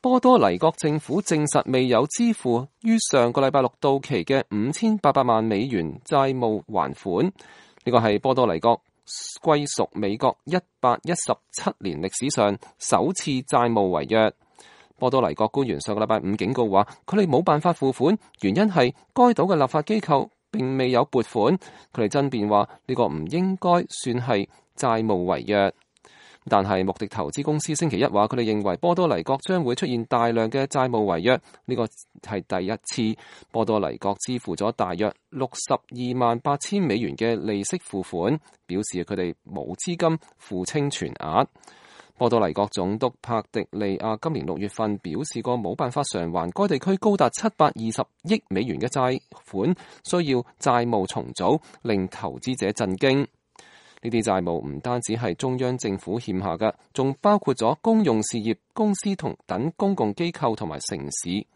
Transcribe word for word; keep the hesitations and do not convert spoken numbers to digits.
波多黎各政府證實未有支付於上個禮拜六到期嘅五千八百萬美元債務還款，呢個係波多黎各歸屬美國一百一十七年歷史上首次債務違約。波多黎各官員上個禮拜五警告話，佢哋冇辦法付款，原因係該島嘅立法機構並未有撥款。佢哋爭辯話呢個唔應該算係債務違約。但係穆迪投資公司星期一話，佢哋認為波多黎各將會出現大量嘅債務違約，呢個係第一次波多黎各支付咗大約六十二萬八千美元嘅利息付款，表示佢哋冇資金付清全額。波多黎各總督帕迪利亞今年六月份表示過冇辦法償還該地區高達七百二十億美元嘅債款，需要債務重組，令投資者震驚。呢啲債務唔單止係中央政府欠下嘅，仲包括咗公用事業公司同等公共機構同埋城市。